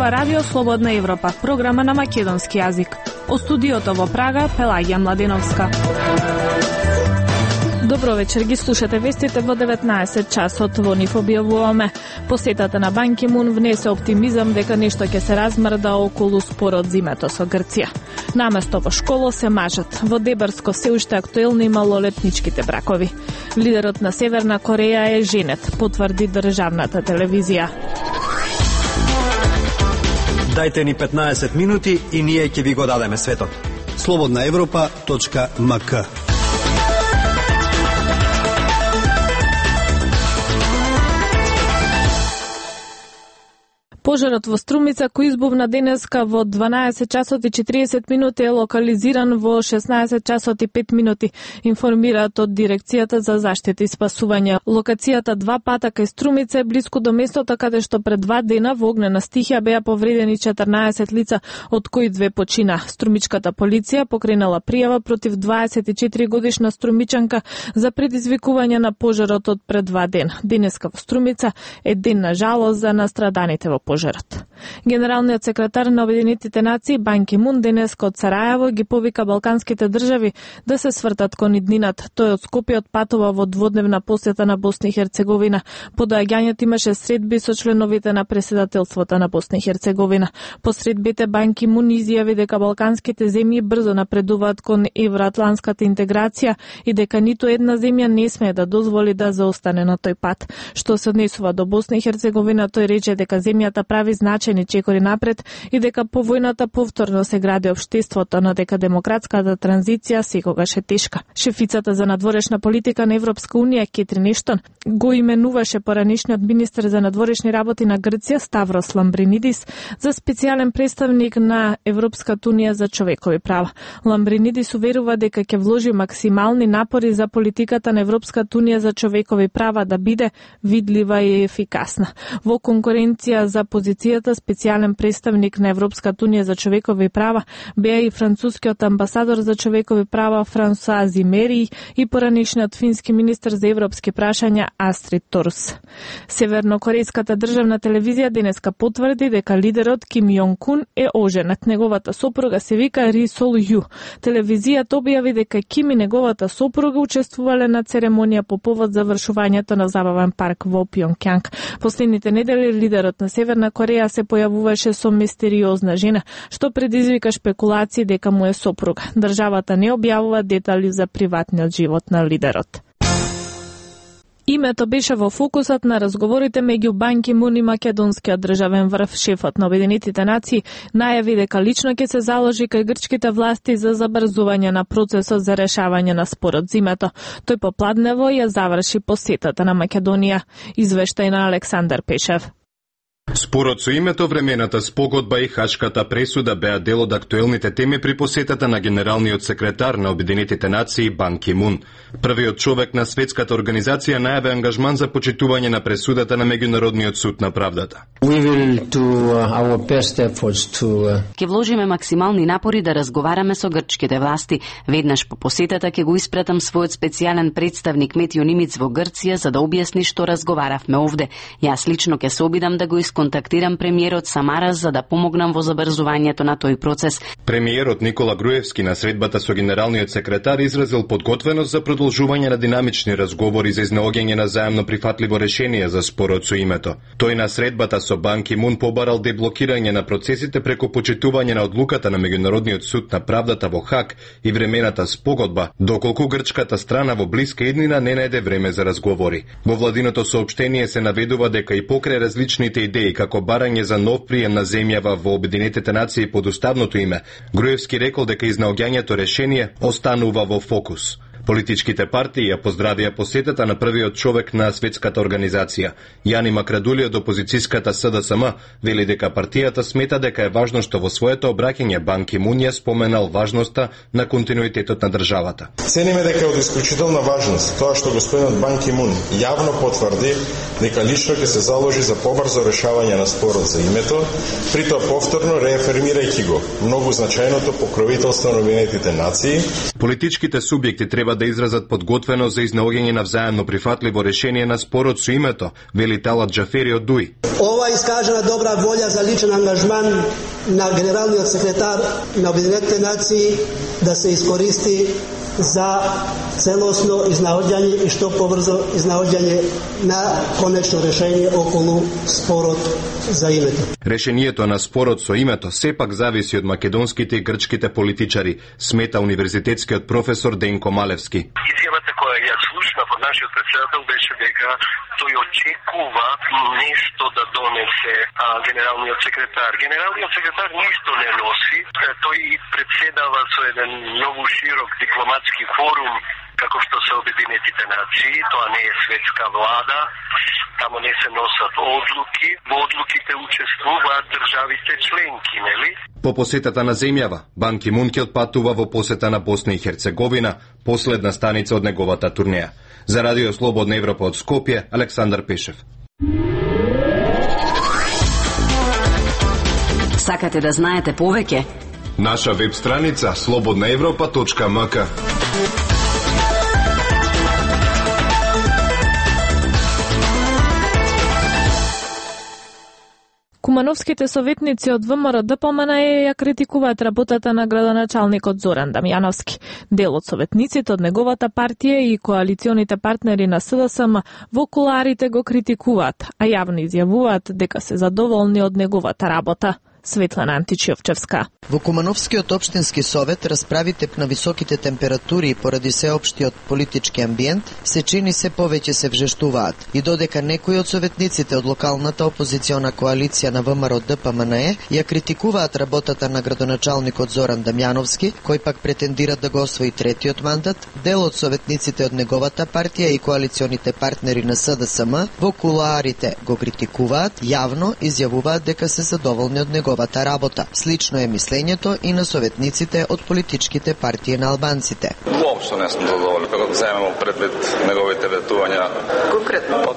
зборува Радио Слободна Европа, програма на македонски јазик. Од студиото во Прага, Пелагија Младеновска. Добро вечер, ги слушате вестите во 19 часот. Во нив објавуваме: посетата на Бан Ки Мун внесе оптимизам дека нешто ќе се размрда околу спорот за името со Грција. Наместо во школа се мажат. Во Дебарско се уште актуелни малолетничките бракови. Лидерот на Северна Кореја е женет, потврди државната телевизија. Дајте ни 15 минути и ние ќе ви го дадеме светот. slobodnaevropa.mk. Пожарот во Струмица, кој избувна денеска во 12 часот и 40 минути, е локализиран во 16 часот и 5 минути, информираат од Дирекцијата за заштита и спасување. Локацијата 2 пата кај Струмица е блиску до местото каде што пред 2 дена во огнена стихија беа повредени 14 лица, од кои 2 почина. Струмичката полиција покренала пријава против 24 годишна струмичанка за предизвикување на пожарот од пред 2 дена. Денеска во Струмица е ден на жалост за настраданите во пожарот. Генералниот секретар на Обединетите нации Бан Ки Мун денеска од Сарајево ги повика балканските држави да се свртат кон иднината. Тој од Скопје отпатува во дводневна посета на Босна и Херцеговина. По доаѓањето имаше средби со членовите на председателството на Босна и Херцеговина. По средбите Бан Ки Мун изјави дека балканските земји брзо напредуваат кон евроатлантската интеграција и дека ниту една земја не смее да дозволи да заостане на тој пат. Што се однесува до Босна и Херцеговина, тој рече дека земјата прави значајни чекори напред и дека по војната повторно се гради општеството, но дека демократската транзиција секогаш е тешка. Шефицата за надворешна политика на Европска унија Кетрин Ештон го именуваше поранишниот министер за надворешни работи на Грција Ставрос Ламбринидис за специјален представник на Европската унија за човекови права. Ламбринидис уверува дека ќе вложи максимални напори за политиката на Европската унија за човекови права да биде видлива и ефикасна. Во конкуренција за позицијата специјален представник на Европската унија за човекови права беа и францускиот амбасадор за човекови права Франсуа Зимери и поранишниот фински министер за европски прашања Астрид Торс. Севернокорејската државна телевизија денеска потврди дека лидерот Ким Јонг Кун е оженет. Неговата сопруга се вика Ри Сол Ју. Телевизијата објави дека Ким и неговата сопруга учествувале на церемонија по повод завршувањето на забавен парк во Пјонкјанг. Последните недели лидерот на Северна Кореја се појавуваше со мистериозна жена, што предизвика шпекулации дека му е сопруга. Државата не објавува детали за приватниот живот на лидерот. Името беше во фокусот на разговорите меѓу Бан Ки Мун и македонскиот државен врв. Шефот на Обединетите нации најави дека лично ќе се заложи кај грчките власти за забрзување на процесот за решавање на спорот за името. Тој попладнево ја заврши посетата на Македонија. Извештај на Александар Пешев. Спорот со името, времената спогодба и хашката пресуда беа дел од актуелните теми при посетата на генералниот секретар на Обединетите нации Бан Ки Мун. Првиот човек на светската организација најави ангажман за почитување на пресудата на Меѓународниот суд на правдата. Ќе вложиме максимални напори да разговараме со грчките власти. Веднаш по посетата ќе го испратам својот специјален представник Метио Нимиц во Грција за да објасни што разговаравме овде. Јас лично ќе се обидам да го контактирам премиерот Самарас за да помогнам во забрзувањето на тој процес. Премиерот Никола Груевски на средбата со генералниот секретар изразил подготвеност за продолжување на динамични разговори за изнаоѓање на заемно прифатливо решение за спорот со името. Тој на средбата со Бан Ки Мун побарал деблокирање на процесите преку почитување на одлуката на Меѓународниот суд на правдата во Хаг и времената спогодба, доколку грчката страна во блиска иднина не најде време за разговори. Во владиното соопштение се наведува дека и покрај различните идеи како барање за нов прием на земјава во Обединетите нации под уставното име, Груевски рекол дека изнаоѓањето решение останува во фокус. Политичките партии ја поздравија посетата на првиот човек на светската организација. Јани Макрадули од опозицијската СДСМ вели дека партијата смета дека е важно што во своето обраќање Бан Ки Мун ја споменал важноста на континуитетот на државата. Цениме дека е од исклучителна важност тоа што господинот Бан Ки Мун јавно потврди дека лично ќе се заложи за побрзо решавање на спорот за името, притоа повторно реафирмирајќи го многу значајното покровителство на Обединетите нации. Политичките субјекти треба треба да изразат подготвеност за изнаоѓање на взаемно прифатливо решение на спорот со името, вели Талат Џафери од ДУИ. Ова искажена добра волја за личен ангажман на генералниот секретар на Обединетите нации да се искористи за целосно изнаоѓање и што побрзо изнаоѓање на конечно решение околу спорот за името. Решението на спорот со името сепак зависи од македонските и грчките политичари, смета универзитетскиот професор Денко Малевски. Изјавата која ја слушнав од нашиот претседател беше дека тој очекува нешто да донесе генералниот секретар. Генералниот секретар ништо не носи, тој председава со еден многу широк дипломатски форум како што се Обединетите нации, тоа не е светска влада, тамо не се носат одлуки, во одлуките учествуваат државите членки, нели? По посетата на земјава, Бан Ки Мун ќе отпатува во посета на Босна и Херцеговина, последна станица од неговата турнеја. За Радио Слободна Европа од Скопје, Александар Пешев. Сакате да знаете повеќе? Наша веб страница slobodnaevropa.mk. Кумановските советници од ВМРО ДПМН ја критикуваат работата на градоначалникот Зоран Дамјановски. Дел од советниците од неговата партија и коалиционите партнери на СДСМ во куларите го критикуваат, а јавно изјавуваат дека се задоволни од неговата работа. Светлана Античиовчевска. Во Кумановскиот општински совет расправите на високите температури поради сеопштиот политички амбиент се чини се повеќе се вжештуваат и додека некои од советниците од локалната опозициона коалиција на ВМРО ДПМН ја критикуваат работата на градоначалникот Зоран Дамјановски, кој пак претендира да го освои третиот мандат, дел од советниците од неговата партија и коалиционите партнери на СДСМ во кулуарите го критикуваат, јавно изјавуваат дека се задоволни од неговата работа. Слично е мислењето и на советниците од политичките партии на албанците. Воопшто не сум задоволен како земемо предвид неговите ветувања.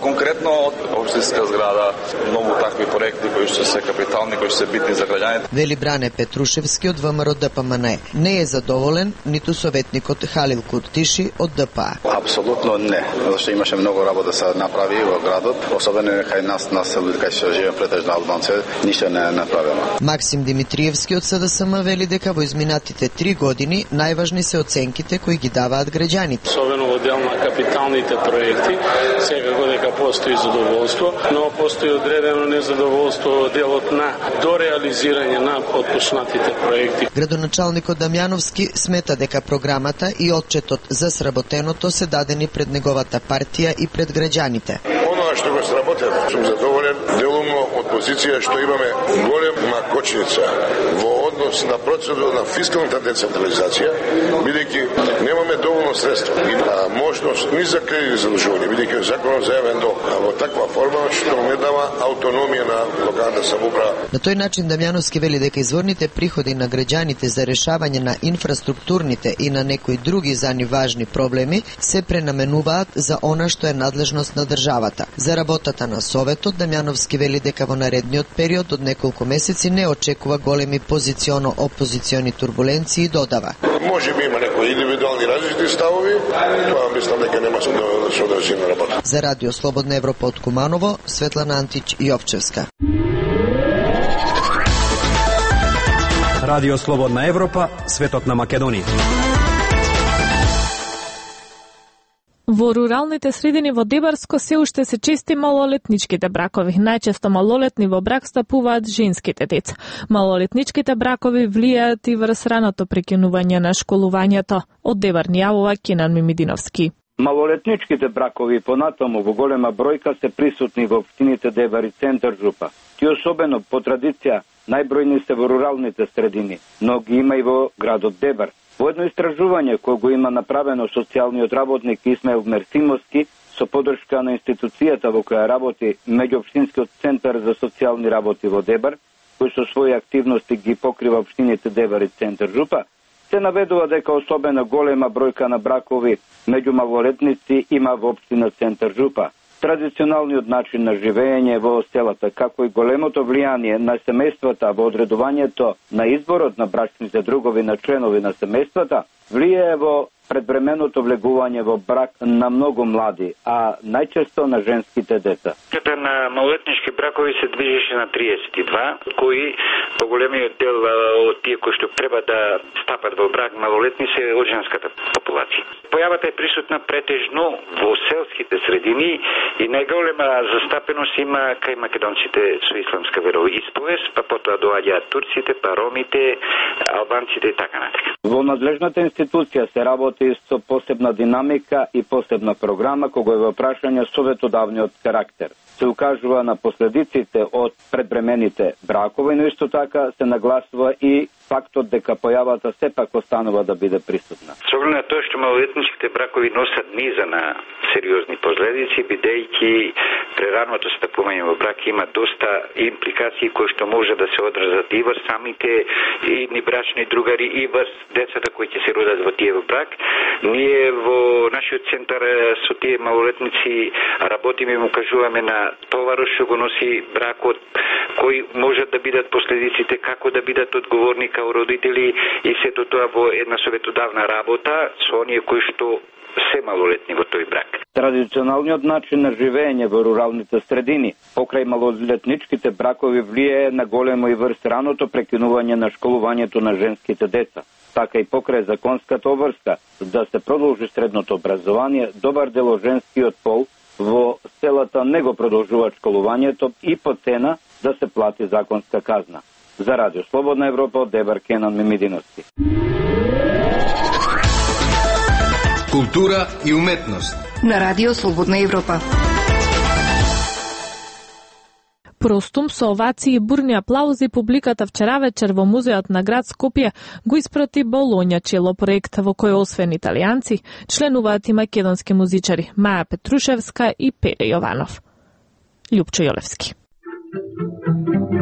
Конкретно од општинска зграда, многу такви проекти кои што се капитални, кои што се битни за граѓаните. Вели Бране Петрушевски од ВМРО ДПМН. Не е задоволен ниту советникот Халил Куртиши од ДПА. Апсолутно не, зашто имаше многу работа да се направи во градот, особено кај нас луѓе кај што живееме претежно албанци, ништо не е направено. Максим Димитриевски од СДСМ вели дека во изминатите 3 години најважни се оценките кои ги даваат граѓаните. Особено во дел на капиталните проекти, секако дека постои задоволство, но постои одредено незадоволство во делот на дореализирање на отпуснатите проекти. Градоначалникот Дамјановски смета дека програмата и отчетот за сработеното се дадени пред неговата партија и пред граѓаните. Оноа што го сработено, сум задоволен делумно од позиција што имаме голема кочница во однос на процедура на фискалната децентрализација, бидејќи немаме доволно средства и можност ни за кредит задлжување, бидејќи законот зајавен долг, а во таква форма што не дава автономија на локалната самоуправа. На тој начин Дамјановски вели дека изворните приходи на граѓаните за решавање на инфраструктурните и на некои други за нив важни проблеми се пренаменуваат за она што е надлежност на државата. За работата на Советот, Дамјановски вели дека во наредниот период од неколку месеци не очекува големи позиционо-опозициони турбуленции и додава. Може би има некои индивидуални различни ставови, тоа мислам дека нема содржина работа. За Радио Слободна Европа од Куманово, Светлана Антич Јовчевска. Радио Слободна Европа, светот на Македонија. Во руралните средини во Дебарско се уште се чести малолетничките бракови. Најчесто малолетни во брак стапуваат женските деца. Малолетничките бракови влијаат и врз раното прекинување на школувањето. Од Дебар ни јавува Кенан Мимидиновски. Малолетничките бракови понатаму во голема бројка се присутни во општините Дебар и центар Жупа. Ти особено по традиција најбројни се во руралните средини, но ги има и во градот Дебар. Во едно истражување кој го има направено социјалниот работник Исмаил Мерсимовски со поддршка на институцијата во која работи Меѓуопштинскиот центар за социјални работи во Дебар, кој со своји активности ги покрива општините Дебар и центар Жупа, се наведува дека особено голема бројка на бракови меѓу малолетници има во општина центар Жупа. Традиционалниот начин на живење во селата, како и големото влијание на семејствата во одредувањето на изборот на брачните другови на членови на семејствата, влијае во предвременото влегување во брак на многу млади, а најчесто на женските деца. Ката на малолетнички бракови се движеше на 32, кои поголемиот дел од тие кои што треба да стапат во брак малолетни се од женската популација. Појавата е присутна претежно во селските средини и најголема застапеност има кај македонците со исламска вероисповест, па потоа доаѓаат турците, па ромите, албанците и така натака. Во надлежната институција се работи со посебна динамика и посебна програма кога е во прашање советодавниот карактер. Се укажува на последиците од предбремените бракови, но исто така се нагласува и фактот дека појавата сепак останува да биде присутна. Со оглед на тоа што малолетничките бракови носат низа на сериозни последици, бидејќи прераното стапување во брак има доста импликации кои што може да се одразат и врз самите идни брачни другари и врз децата кои ќе се родат во тие во брак. Ние во нашиот центар со тие малолетници работиме и му кажуваме на товарот што го носи бракот, кои можат да бидат последиците, како да бидат одговорни као родители и сето тоа во една советодавна работа со оние кои што се малолетни во тој брак. Традиционалниот начин на живење во руралните средини покрај малолетничките бракови влијае на големо и врз раното прекинување на школувањето на женските деца. Така и покрај законската обврска да се продолжи средното образование, добар дел од женскиот пол во селата не го продолжуваат школувањето и по цена да се плати законска казна. За Радио Слободна Европа од Дебар Кенан Мемидиновски. Култура и уметност на Радио Слободна Европа. Простум со овации и бурни аплаузи публиката вчера вечер во музеот на град Скопје го испрати Болоња чело проект во кој освен италијанци членуваат и македонски музичари Маја Петрушевска и Пеле Јованов. Љупчо Јолевски.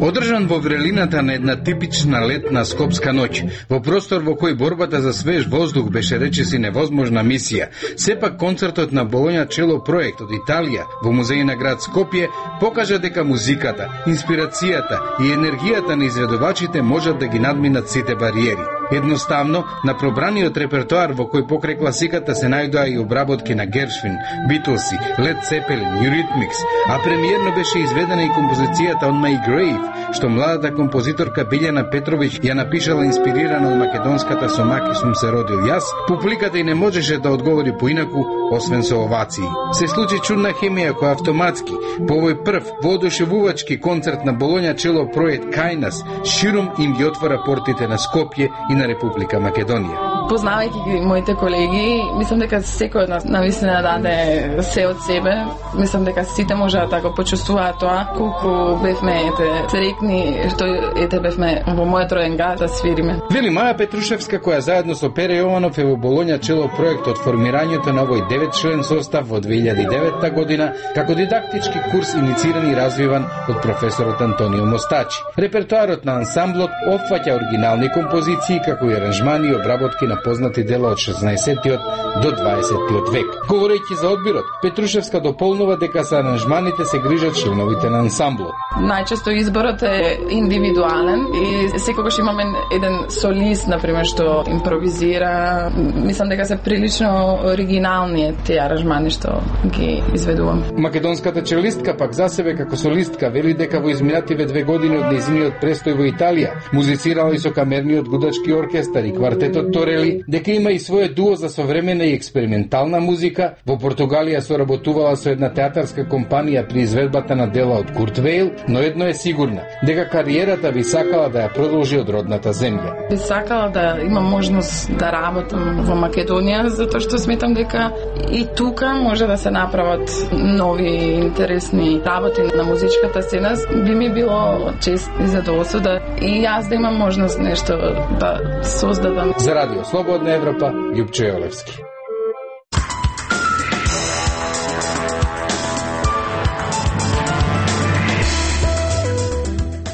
Одржан во врелината на една типична летна скопска ноќ, во простор во кој борбата за свеж воздух беше речиси невозможна мисија, сепак концертот на Болоња чело проект од Италија во музеј на град Скопје покажа дека музиката, инспирацијата и енергијата на изведувачите можат да ги надминат сите бариери. Едноставно, на пробраниот репертоар во кој покрај класиката се најдоа и обработки на Гершвин, Битлси, Лед Цепелин, Юритмикс, а премиерно беше изведена и композицијата On My Grave, што младата композиторка Билјана Петровиќ ја напишала инспирирана од македонската "Со маки сум се родил јас", публиката и не можеше да одговори поинаку, освен со овации. Се случи чудна хемија која автоматски, по овој прв воодушевувачки концерт на Болоња чело проект Кајнас, широм им ги отвора портите на Скопје и на Република Македонија. Познавајќи ги моите колеги, мислам дека секој од нас навистина даде се од себе. Мислам дека сите можат да го почувствуваат тоа, колку бевме среќни што бевме во мојот роен град да свириме. Вели Маја Петрушевска, која заедно со Пере Јованов е во Болоња чело проект од формирањето на овој 9-член состав во 2009 година, како дидактички курс инициран и развиван од професорот Антонио Мостачи. Репертоарот на ансамблот опфаќа оригинални композиции, како и аранжмани и обработки на познати дела од 16-тиот до 20-тиот век. Говорејќи за одбирот, Петрушевска дополнува дека за аранжманите се грижат членовите на ансамблот. Најчесто изборот е индивидуален и секогаш имаме еден солист, например, што импровизира. Мислам дека се прилично оригинални тие аранжмани што ги изведувам. Македонската челистка пак за себе како солистка вели дека во изминативе 2 години од нејзиниот престој во Италија музицирала и со камерниот гудачки оркестар и квартетот Торели, дека има и свое дуо за современа и експериментална музика. Во Португалија соработувала со една театарска компанија при изведбата на дела од Курт Вейл, но едно е сигурна, дека кариерата би сакала да ја продолжи од родната земја. Би сакала да имам можност да работам во Македонија, затоа што сметам дека и тука може да се направат нови интересни работи на музичката сцена. Би ми било чест и задоволство да и јас да имам можност нешто да создадам. За Радио Слободна Европа, Љупчо Јолевски.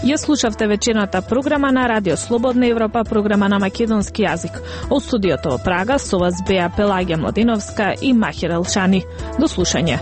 Ја слушавте вечерната програма на Радио Слободна Европа, програма на македонски јазик. Од студиото во Прага со вас беа Пелагија Младиновска и Махир Елшани. До слушање.